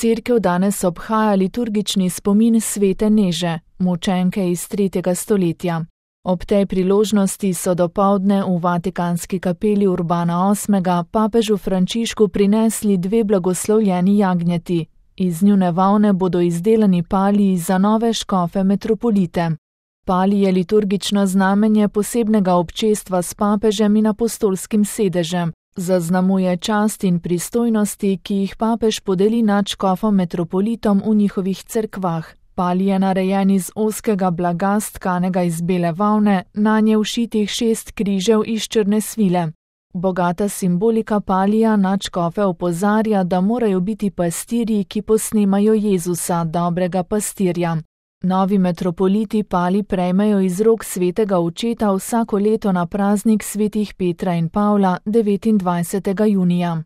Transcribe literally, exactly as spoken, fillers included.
Cerkev danes obhaja liturgični spomin svete Neže, mučenke iz tretjega stoletja. Ob tej priložnosti so dopoldne v Vatikanski kapeli Urbana osmega papežu Frančišku prinesli dve blagoslovljeni jagnjeti. Iz njune volne bodo izdelani paliji za nove škofe metropolite. Palij je liturgično znamenje posebnega občestva s papežem in apostolskim sedežem. Zaznamuje čast in pristojnosti, ki jih papež podeli nadškofom metropolitom v njihovih cerkvah. Palij je narejen iz ozkega blaga tkanega iz bele volne, nanje všitih šest križev iz črne svile. Bogata simbolika palija nadškofe opozarja, da morajo biti pastirji, ki posnemajo Jezusa, dobrega pastirja. Novi metropoliti palij prejmejo iz rok svetega očeta vsako leto na praznik svetih Petra in Pavla devetindvajsetega junija.